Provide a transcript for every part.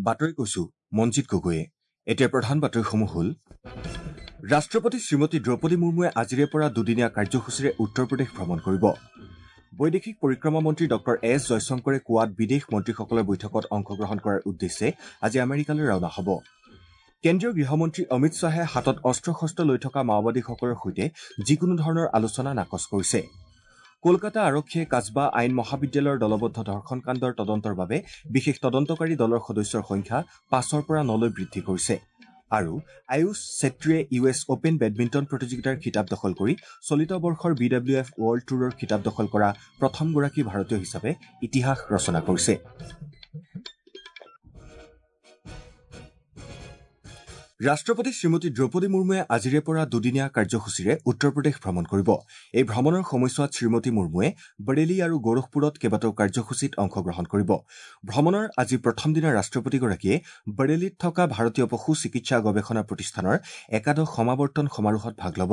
বাতৰি কৈছো মঞ্জিত গগৈয়ে। এতিয়া প্ৰধান বাতৰিসমূহ হ'ল: ৰাষ্ট্ৰপতি শ্ৰীমতী দ্ৰৌপদী মুৰ্মুৱে আজিৰে পৰা দুদিনীয়া কাৰ্যসূচীৰে উত্তৰ প্ৰদেশ ভ্ৰমণ কৰিব। বৈদেশিক পৰিক্ৰমা মন্ত্ৰী ডঃ এছ জয়শংকৰে কোৱাড বিদেশ মন্ত্ৰীসকলৰ বৈঠকত অংশগ্ৰহণ কৰাৰ উদ্দেশ্যে আজি আমেৰিকালৈ ৰাওনা হ'ব। কেন্দ্ৰীয় গৃহমন্ত্ৰী অমিত শ্বাহে হাতত অস্ত্ৰ শস্ত্ৰ লৈ থকা মাওবাদীসকলৰ সৈতে যিকোনো ধৰণৰ আলোচনা নাকচ কৰিছে। কলকাতা আৰক্ষীয়ে কাছবা আইন মহাবিদ্যালয়ৰ দলবদ্ধ ধৰ্ষণ কাণ্ডৰ তদন্তৰ বাবে বিশেষ তদন্তকাৰী দলৰ সদস্যৰ সংখ্যা 5ৰ পৰা 9লৈ বৃদ্ধি কৰিছে। আৰু আয়ুষ চেত্ৰীয়ে ইউ এছ অপেন বেডমিণ্টন প্ৰতিযোগিতাৰ খিতাপ দখল কৰি চলিত বৰ্ষৰ বি ডাব্লিউ এফ ৱৰ্ল্ড ট্যুৰৰ খিতাপ দখল কৰা প্ৰথমগৰাকী ভাৰতীয় হিচাপে ইতিহাস ৰচনা কৰিছে। ৰাষ্ট্ৰপতি শ্ৰীমতী দ্ৰৌপদী মুৰ্মুৱে আজিৰে পৰা দুদিনীয়া কাৰ্যসূচীৰে উত্তৰ প্ৰদেশ ভ্ৰমণ কৰিব। এই ভ্ৰমণৰ সময়ছোৱাত শ্ৰীমতী মুৰ্মুৱে বৰেলী আৰু গোৰখপুৰত কেইবাটাও কাৰ্যসূচীত অংশগ্ৰহণ কৰিব। ভ্ৰমণৰ আজি প্ৰথম দিনা ৰাষ্ট্ৰপতিগৰাকীয়ে বৰেলীত থকা ভাৰতীয় পশু চিকিৎসা গৱেষণা প্ৰতিষ্ঠানৰ একাদশ সমাৱৰ্তন সমাৰোহত ভাগ ল'ব।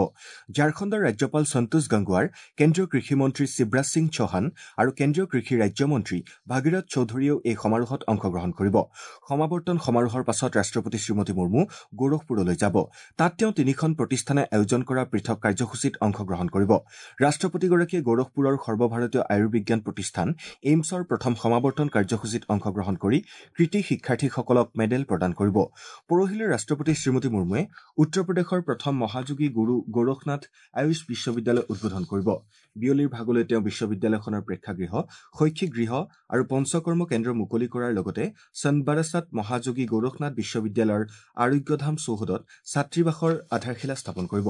ঝাৰখণ্ডৰ ৰাজ্যপাল সন্তোষ গংগোৱাৰ, কেন্দ্ৰীয় কৃষিমন্ত্ৰী শিৱৰাজ সিং চৌহান আৰু কেন্দ্ৰীয় কৃষি ৰাজ্যমন্ত্ৰী ভাগীৰথ চৌধুৰীয়েও এই সমাৰোহত অংশগ্ৰহণ কৰিব। সমাৱৰ্তন সমাৰোহৰ পাছত ৰাষ্ট্ৰপতি শ্ৰীমতী মুৰ্মু গোৰখপুৰলৈ যাব। তাত তেওঁ তিনিখন প্ৰতিষ্ঠানে আয়োজন কৰা পৃথক কাৰ্যসূচীত অংশগ্ৰহণ কৰিব। ৰাষ্ট্ৰপতিগৰাকীয়ে গোৰখপুৰৰ সৰ্বভাৰতীয় আয়ুৰ্বিজ্ঞান প্ৰতিষ্ঠান এইমছৰ প্ৰথম সমাৱৰ্তন কাৰ্যসূচীত অংশগ্ৰহণ কৰি কৃতী শিক্ষাৰ্থীসকলক মেডেল প্ৰদান কৰিব। পৰহিলৈ ৰাষ্ট্ৰপতি শ্ৰীমতী মুৰ্মুৱে উত্তৰ প্ৰদেশৰ প্ৰথম মহাযোগী গুৰু গোৰখনাথ আয়ুষ বিশ্ববিদ্যালয় উদ্বোধন কৰিব। বিয়লিৰ ভাগলৈ তেওঁ বিশ্ববিদ্যালয়খনৰ প্ৰেক্ষাগৃহ, শৈক্ষিক গৃহ আৰু পঞ্চকৰ্ম কেন্দ্ৰ মুকলি কৰাৰ লগতে সনবাৰাছাত মহাযোগী গোৰখনাথ বিশ্ববিদ্যালয়ৰ আৰোগ্যধাম চৌহদত ছাত্ৰীবাসৰ আধাৰশিলা স্থাপন কৰিব।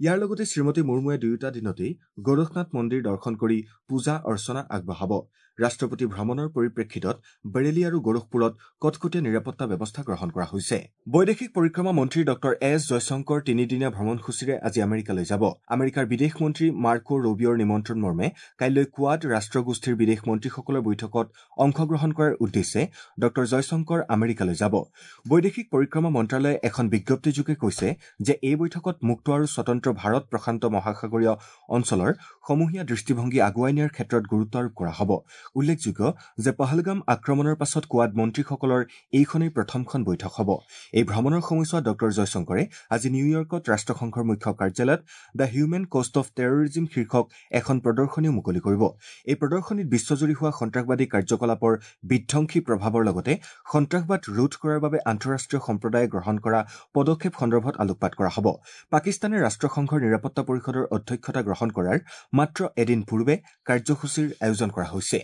ইয়াৰ লগতে শ্ৰীমতী মুৰ্মুৱে দুয়োটা দিনতেই গোৰখনাথ মন্দিৰ দৰ্শন কৰি পূজা অৰ্চনা আগবঢ়াব। ৰাষ্ট্ৰপতি ভ্ৰমণৰ পৰিপ্ৰেক্ষিতত বৰেলী আৰু গোৰখপুৰত কটকটীয়া নিৰাপত্তা ব্যৱস্থা গ্ৰহণ কৰা হৈছে। বৈদেশিক পৰিক্ৰমা মন্ত্ৰী ডঃ এছ জয়শংকৰ তিনিদিনীয়া ভ্ৰমণসূচীৰে আজি আমেৰিকালৈ যাব। আমেৰিকাৰ বিদেশ মন্ত্ৰী মাৰ্কো ৰুবিঅ'ৰ নিমন্ত্ৰণ মৰ্মে কাইলৈ কোৱাড ৰাষ্ট্ৰগোষ্ঠীৰ বিদেশ মন্ত্ৰীসকলৰ বৈঠকত অংশগ্ৰহণ কৰাৰ উদ্দেশ্যে ডঃ জয়শংকৰ আমেৰিকালৈ যাব। বৈদেশিক পৰিক্ৰমা মন্ত্ৰালয়ে এখন বিজ্ঞপ্তিযোগে কৈছে যে এই বৈঠকত মুক্ত আৰু স্বতন্ত্ৰ ভাৰত প্ৰশান্ত মহাসাগৰীয় অঞ্চলৰ সমূহীয়া দৃষ্টিভংগী আগুৱাই নিয়াৰ ক্ষেত্ৰত গুৰুত্ব আৰোপ কৰা হ'ব। উল্লেখযোগ্য যে পহলগাম আক্ৰমণৰ পাছত কোৱাড মন্ত্ৰীসকলৰ এইখনেই প্ৰথমখন বৈঠক হ'ব। এই ভ্ৰমণৰ সময়ছোৱাত ডঃ জয়শংকৰে আজি নিউয়ৰ্কত ৰাষ্ট্ৰসংঘৰ মুখ্য কাৰ্যালয়ত the human cost of terrorism শীৰ্ষক এখন প্ৰদৰ্শনীও মুকলি কৰিব। এই প্ৰদৰ্শনীত বিশ্বজুৰি হোৱা সন্ত্ৰাসবাদী কাৰ্যকলাপৰ বিধ্বংসী প্ৰভাৱৰ লগতে সন্ত্ৰাসবাদ ৰোধ কৰাৰ বাবে আন্তঃৰাষ্ট্ৰীয় সম্প্ৰদায়ে গ্ৰহণ কৰা পদক্ষেপ সন্দৰ্ভত আলোকপাত কৰা হ'ব। পাকিস্তানে ৰাষ্ট্ৰসংঘৰ নিৰাপত্তা পৰিষদৰ অধ্যক্ষতা গ্ৰহণ কৰাৰ মাত্ৰ এদিন পূৰ্বে কাৰ্যসূচীৰ আয়োজন কৰা হৈছে।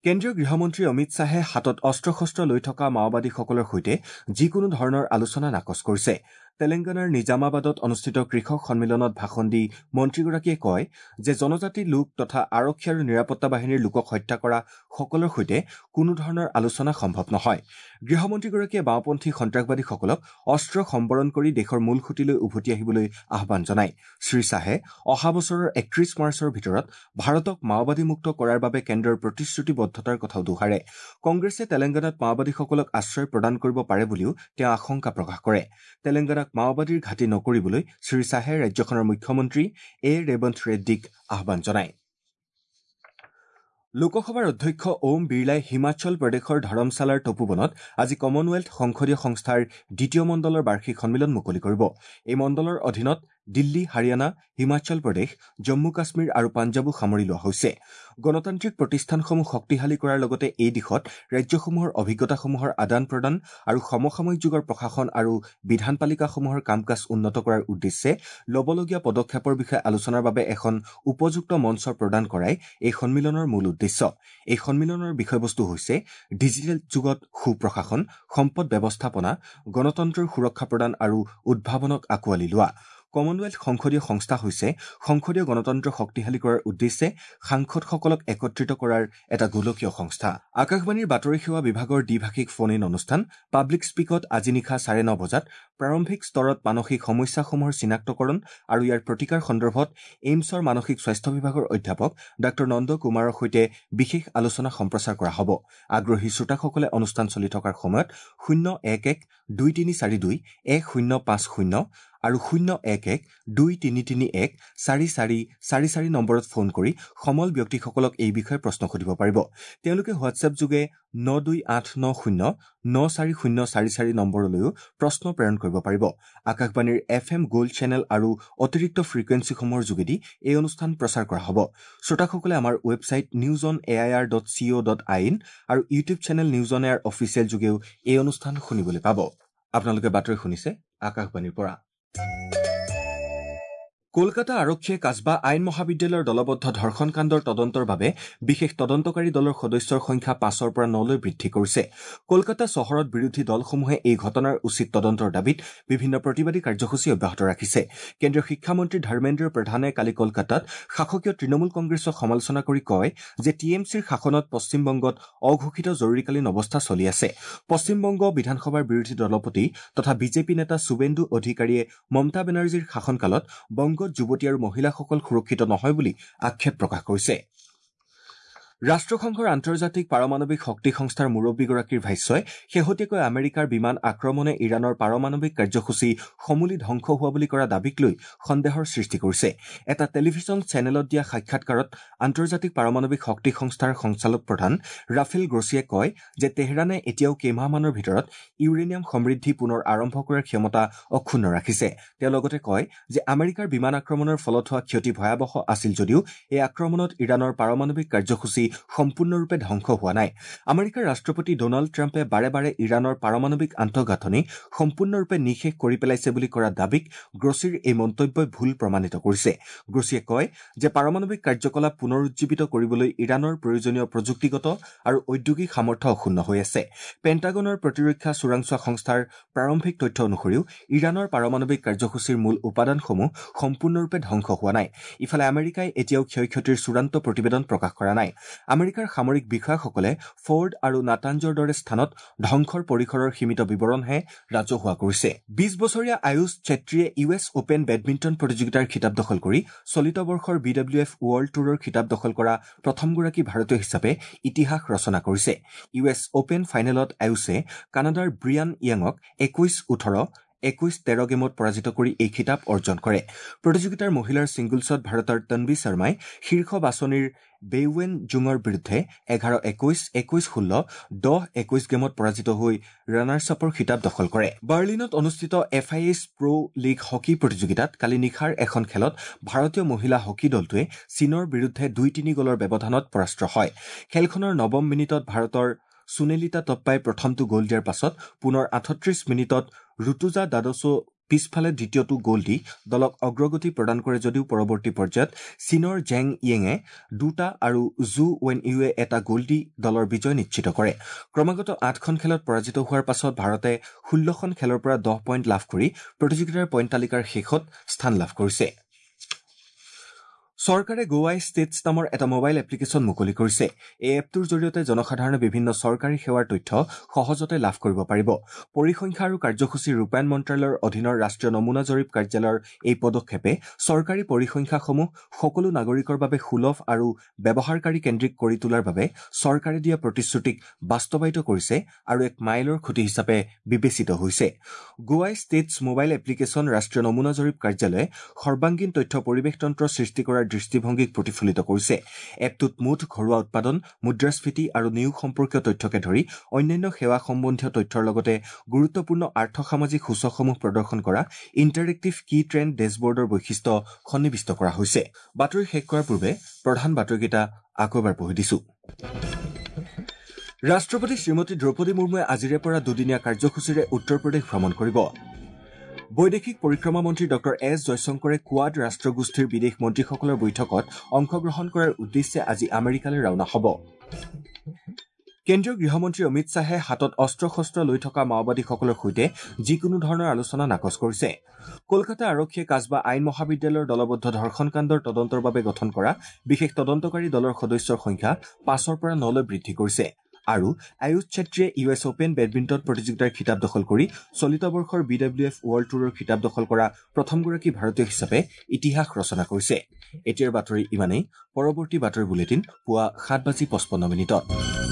কেন্দ্ৰীয় গৃহমন্ত্ৰী অমিত শ্বাহে হাতত অস্ত্ৰ শস্ত্ৰ লৈ থকা মাওবাদীসকলৰ সৈতে যিকোনো ধৰণৰ আলোচনা নাকচ কৰিছে। তেলেংগানাৰ নিজামাবাদত অনুষ্ঠিত কৃষক সন্মিলনত ভাষণ দি মন্ত্ৰীগৰাকীয়ে কয় যে জনজাতি লোক তথা আৰক্ষী আৰু নিৰাপত্তা বাহিনীৰ লোকক হত্যা কৰা সকলৰ সৈতে কোনো ধৰণৰ আলোচনা সম্ভৱ নহয়। গৃহমন্ত্ৰীগৰাকীয়ে বাওঁপন্থী সন্ত্ৰাসবাদীসকলক অস্ত্ৰ সম্বৰণ কৰি দেশৰ মূল সুঁতিলৈ উভতি আহিবলৈ আহ্বান জনায়। শ্ৰী শ্বাহে অহা বছৰৰ 31 মাৰ্চৰ ভিতৰত ভাৰতক মাওবাদীমুক্ত কৰাৰ বাবে কেন্দ্ৰৰ প্ৰতিশ্ৰুতিবদ্ধতাৰ কথাও দোহাৰে। কংগ্ৰেছে তেলেংগানাত মাওবাদীসকলক আশ্ৰয় প্ৰদান কৰিব পাৰে বুলিও তেওঁ আশংকা প্ৰকাশ কৰে। তেলেংগানাক মাওবাদীৰ ঘাটি নকৰিবলৈ শ্ৰী শ্বাহে ৰাজ্যখনৰ মুখ্যমন্ত্ৰী এ ৰেৱন্ত ৰেড্ডীক আহ্বান জনায়। লোকসভাৰ অধ্যক্ষ ওম বিৰলাই হিমাচল প্ৰদেশৰ ধৰমশালাৰ তপোবনত আজি কমনৱেলথ সংসদীয় সংস্থাৰ দ্বিতীয় মণ্ডলৰ বাৰ্ষিক সন্মিলন মুকলি কৰিব। এই মণ্ডলৰ অধীনত দিল্লী, হাৰিয়ানা, হিমাচল প্ৰদেশ, জম্মু কাশ্মীৰ আৰু পাঞ্জাৱো সামৰি লোৱা হৈছে। গণতান্ত্ৰিক প্ৰতিষ্ঠানসমূহ শক্তিশালী কৰাৰ লগতে এই দিশত ৰাজ্যসমূহৰ অভিজ্ঞতাসমূহৰ আদান প্ৰদান আৰু সমসাময়িক যুগৰ প্ৰশাসন আৰু বিধানপালিকাসমূহৰ কাম কাজ উন্নত কৰাৰ উদ্দেশ্যে ল'বলগীয়া পদক্ষেপৰ বিষয়ে আলোচনাৰ বাবে এখন উপযুক্ত মঞ্চ প্ৰদান কৰাই এই সন্মিলনৰ মূল উদ্দেশ্য। এই সন্মিলনৰ বিষয়বস্তু হৈছে ডিজিটেল যুগত সুপ্ৰশাসন, সম্পদ ব্যৱস্থাপনা, গণতন্ত্ৰৰ সুৰক্ষা প্ৰদান আৰু উদ্ভাৱনক আঁকোৱালি লোৱা। কমনৱেলথ সংসদীয় সংস্থা হৈছে সংসদীয় গণতন্ত্ৰ শক্তিশালী কৰাৰ উদ্দেশ্যে সাংসদসকলক একত্ৰিত কৰাৰ এটা গোলকীয় সংস্থা। আকাশবাণীৰ বাতৰি সেৱা বিভাগৰ দ্বিভাষিক ফোন ইন অনুষ্ঠান পাব্লিক স্পীকত আজি নিশা 9:30 বজাত প্ৰাৰম্ভিক স্তৰত মানসিক সমস্যাসমূহৰ চিনাক্তকৰণ আৰু ইয়াৰ প্ৰতিকাৰ সন্দৰ্ভত এইমছৰ মানসিক স্বাস্থ্য বিভাগৰ অধ্যাপক ডাঃ নন্দ কুমাৰৰ সৈতে বিশেষ আলোচনা সম্প্ৰচাৰ কৰা হ'ব। আগ্ৰহী শ্ৰোতাসকলে অনুষ্ঠান চলি থকাৰ সময়ত 011 2342 1050 আৰু ০১১ ২৩৩১ ৪৪৪৪ নম্বৰত ফোন কৰি সমল ব্যক্তিসকলক এই বিষয়ে প্ৰশ্ন সুধিব পাৰিব। তেওঁলোকে হোৱাটছএপ যোগে ৯২৮৯০ ৯৪০৪৪ নম্বৰলৈও প্ৰশ্ন প্ৰেৰণ কৰিব পাৰিব। আকাশবাণীৰ এফ এম গ'ল্ড চেনেল আৰু অতিৰিক্ত ফ্ৰিকুৱেঞ্চিসমূহৰ যোগেদি এই অনুষ্ঠান প্ৰচাৰ কৰা হ'ব। শ্ৰোতাসকলে আমাৰ website news on A I R dot C O dot I in আৰু YouTube channel news on air official যোগেও এই অনুষ্ঠান শুনিবলৈ পাব। আপোনালোকে বাতৰি শুনিছে আকাশবাণীৰ পৰা। কলকাতা আৰক্ষীয়ে কাছবা আইন মহাবিদ্যালয়ৰ দলবদ্ধ ধৰ্ষণ কাণ্ডৰ তদন্তৰ বাবে বিশেষ তদন্তকাৰী দলৰ সদস্যৰ সংখ্যা ৫ৰ পৰা ৯লৈ বৃদ্ধি কৰিছে। কলকাতা চহৰত বিৰোধী দলসমূহে এই ঘটনাৰ উচিত তদন্তৰ দাবীত বিভিন্ন প্ৰতিবাদী কাৰ্যসূচী অব্যাহত ৰাখিছে। কেন্দ্ৰীয় শিক্ষামন্ত্ৰী ধৰ্মেন্দ্ৰ প্ৰধানে কালি কলকাতাত শাসকীয় তৃণমূল কংগ্ৰেছক সমালোচনা কৰি কয় যে টি এম চিৰ শাসনত পশ্চিমবংগত অঘোষিত জৰুৰীকালীন অৱস্থা চলি আছে। পশ্চিমবংগ বিধানসভাৰ বিৰোধী দলপতি তথা বিজেপি নেতা শুভেন্দু অধিকাৰীয়ে মমতা বেনাৰ্জীৰ শাসনকালত বংগত যুৱতী আৰু মহিলাসকল সুৰক্ষিত নহয় বুলি আক্ষেপ প্ৰকাশ কৰিছে। ৰাষ্ট্ৰসংঘৰ আন্তৰ্জাতিক পাৰমাণৱিক শক্তি সংস্থাৰ মুৰব্বীগৰাকীৰ ভাষ্যই শেহতীয়াকৈ আমেৰিকাৰ বিমান আক্ৰমণে ইৰাণৰ পাৰমাণৱিক কাৰ্যসূচী সমূলি ধ্বংস হোৱা বুলি কৰা দাবীক লৈ সন্দেহৰ সৃষ্টি কৰিছে। এটা টেলিভিছন চেনেলত দিয়া সাক্ষাৎকাৰত আন্তৰ্জাতিক পাৰমাণৱিক শক্তি সংস্থাৰ সঞ্চালক প্ৰধান ৰাফেল গ্ৰছিয়ে কয় যে তেহৰানে এতিয়াও কেইমাহমানৰ ভিতৰত ইউৰেনিয়াম সমৃদ্ধি পুনৰ আৰম্ভ কৰাৰ ক্ষমতা অক্ষুণ্ণ ৰাখিছে। তেওঁ লগতে কয় যে আমেৰিকাৰ বিমান আক্ৰমণৰ ফলত হোৱা ক্ষতি ভয়াৱহ আছিল যদিও এই আক্ৰমণত ইৰাণৰ পাৰমাণৱিক কাৰ্যসূচী সম্পূৰ্ণৰূপে ধ্বংস হোৱা নাই। আমেৰিকাৰ ৰাষ্ট্ৰপতি ডনাল্ড ট্ৰাম্পে বাৰে বাৰে ইৰাণৰ পাৰমাণৱিক আন্তঃগাঁথনি সম্পূৰ্ণৰূপে নিঃশেষ কৰি পেলাইছে বুলি কৰা দাবীক গ্ৰছিৰ এই মন্তব্যই ভুল প্ৰমাণিত কৰিছে। গ্ৰছিয়ে কয় যে পাৰমাণৱিক কাৰ্যকলাপ পুনৰুজ্জীৱিত কৰিবলৈ ইৰাণৰ প্ৰয়োজনীয় প্ৰযুক্তিগত আৰু ঔদ্যোগিক সামৰ্থ্য অক্ষুণ্ণ হৈ আছে। পেণ্টাগনৰ প্ৰতিৰক্ষা চোৰাংচোৱা সংস্থাৰ প্ৰাৰম্ভিক তথ্য অনুসৰিও ইৰাণৰ পাৰমাণৱিক কাৰ্যসূচীৰ মূল উপাদানসমূহ সম্পূৰ্ণৰূপে ধ্বংস হোৱা নাই। ইফালে আমেৰিকাই এতিয়াও ক্ষয় ক্ষতিৰ চূড়ান্ত প্ৰতিবেদন প্ৰকাশ কৰা নাই। আমেৰিকাৰ সামৰিক বিষয়াসকলে ফৰ্ড আৰু নাটাঞ্জৰ দৰে স্থানত ধ্বংসৰ পৰিসৰৰ সীমিত বিৱৰণহে ৰাজহুৱা কৰিছে। ২০ বছৰীয়া আয়ুষ চেত্ৰীয়ে ইউ এছ অপেন বেডমিণ্টন প্ৰতিযোগিতাৰ খিতাপ দখল কৰি চলিত বৰ্ষৰ বি ডব্লিউ এফ ৱৰ্ল্ড ট্যুৰৰ খিতাপ দখল কৰা প্ৰথমগৰাকী ভাৰতীয় হিচাপে ইতিহাস ৰচনা কৰিছে। ইউ এছ অপেন ফাইনেলত আয়ুষে কানাডাৰ ব্ৰিয়ান য়াঙক ২১-১৮, ২১-১৩ গেমত পৰাজিত কৰি এই খিতাপ অৰ্জন কৰে। প্ৰতিযোগিতাৰ মহিলাৰ ছিংগলছত ভাৰতৰ তনবী শৰ্মাই শীৰ্ষ বাছনিৰ বেইৱেন জুঙৰ বিৰুদ্ধে ১১-২১, ২১-১৬, ১০-২১ গেমত পৰাজিত হৈ ৰানাৰ্ছ আপৰ খিতাপ দখল কৰে। বাৰ্লিনত অনুষ্ঠিত F I H pro league hockey প্ৰতিযোগিতাত কালি নিশাৰ এখন খেলত ভাৰতীয় মহিলা হকী দলটোৱে চীনৰ বিৰুদ্ধে ২-৩ গ'লৰ ব্যৱধানত পৰাস্ত হয়। খেলখনৰ নৱম মিনিটত ভাৰতৰ সুনেলিতা টপ্পাই প্ৰথমটো গ'ল দিয়াৰ পাছত পুনৰ ৩৮ মিনিটত ৰুতুজা দাদছো পিছফালে দ্বিতীয়টো গ'ল দি দলক অগ্ৰগতি প্ৰদান কৰে যদিও পৰৱৰ্তী পৰ্যায়ত চীনৰ জেং য়েঙে দুটা আৰু জু ৱেন ইউৱে এটা গ'ল দি দলৰ বিজয় নিশ্চিত কৰে। ক্ৰমাগত ৮খন খেলত পৰাজিত হোৱাৰ পাছত ভাৰতে ১৬খন খেলৰ পৰা ১০ পইণ্ট লাভ কৰি প্ৰতিযোগিতাৰ পইণ্ট তালিকাৰ শেষত স্থান লাভ কৰিছে। চৰকাৰে গোৱাই ষ্টেটছ নামৰ এটা মোবাইল এপ্লিকেশ্যন মুকলি কৰিছে। এই এপটোৰ জৰিয়তে জনসাধাৰণে বিভিন্ন চৰকাৰী সেৱাৰ তথ্য সহজতে লাভ কৰিব পাৰিব। পৰিসংখ্যা আৰু কাৰ্যসূচী ৰূপায়ণ মন্ত্ৰালয়ৰ অধীনৰ ৰাষ্ট্ৰীয় নমুনা জৰীপ কাৰ্যালয়ৰ এই পদক্ষেপে চৰকাৰী পৰিসংখ্যাসমূহ সকলো নাগৰিকৰ বাবে সুলভ আৰু ব্যৱহাৰকাৰী কেন্দ্ৰিক কৰি তোলাৰ বাবে চৰকাৰে দিয়া প্ৰতিশ্ৰুতিক বাস্তৱায়িত কৰিছে আৰু এক মাইলৰ খুঁটি হিচাপে বিবেচিত হৈছে। গোৱাই ষ্টেটছ মোবাইল এপ্লিকেশ্যন ৰাষ্ট্ৰীয় নমুনা জৰীপ কাৰ্যালয়ে সৰ্বাংগীন তথ্য পৰিৱেশতন্ত্ৰ সৃষ্টি কৰাৰ দৃষ্টিভংগীক প্ৰতিফলিত কৰিছে। এপটোত মুঠ ঘৰুৱা উৎপাদন, মুদ্ৰাস্ফীতি আৰু নিয়োগ সম্পৰ্কীয় তথ্যকে ধৰি অন্যান্য সেৱা সম্বন্ধীয় তথ্যৰ লগতে গুৰুত্বপূৰ্ণ আৰ্থসামাজিক সূচকসমূহ প্ৰদৰ্শন কৰা ইণ্টাৰেক্টিভ কী ট্ৰেণ্ড ডেছবৰ্ডৰ বৈশিষ্ট্য সন্নিৱিষ্ট কৰা হৈছে। বাতৰি শেষ কৰাৰ পূৰ্বে প্ৰধান বাতৰিকেইটা আকৌ এবাৰ পঢ়ি দিছো। ৰাষ্ট্ৰপতি শ্ৰীমতী দ্ৰৌপদী মুৰ্মুৱে আজিৰে পৰা দুদিনীয়া কাৰ্যসূচীৰে উত্তৰ প্ৰদেশ ভ্ৰমণ কৰিব। বৈদেশিক পৰিক্ৰমা মন্ত্ৰী ডঃ এছ জয়শংকৰে কোৱাড ৰাষ্ট্ৰগোষ্ঠীৰ বিদেশ মন্ত্ৰীসকলৰ বৈঠকত অংশগ্ৰহণ কৰাৰ উদ্দেশ্যে আজি আমেৰিকালৈ ৰাওনা হ'ব। কেন্দ্ৰীয় গৃহমন্ত্ৰী অমিত শ্বাহে হাতত অস্ত্ৰ শস্ত্ৰ লৈ থকা মাওবাদীসকলৰ সৈতে যিকোনো ধৰণৰ আলোচনা নাকচ কৰিছে। কলকাতা আৰক্ষীয়ে কাছবা আইন মহাবিদ্যালয়ৰ দলবদ্ধ ধৰ্ষণ কাণ্ডৰ তদন্তৰ বাবে গঠন কৰা বিশেষ তদন্তকাৰী দলৰ সদস্যৰ সংখ্যা ৫ৰ পৰা ৯লৈ বৃদ্ধি কৰিছে। আৰু আয়ুষ চেত্ৰীয়ে ইউ এছ অপেন বেডমিণ্টন প্ৰতিযোগিতাৰ খিতাপ দখল কৰি চলিত বৰ্ষৰ বি ডব্লিউ এফ ৱৰ্ল্ড ট্যুৰৰ খিতাপ দখল কৰা প্ৰথমগৰাকী ভাৰতীয় হিচাপে ইতিহাস ৰচনা কৰিছে। এতিয়াৰ বাতৰি ইমানেই। পৰৱৰ্তী বাতৰি বুলেটিন পুৱা ৭:৫৫।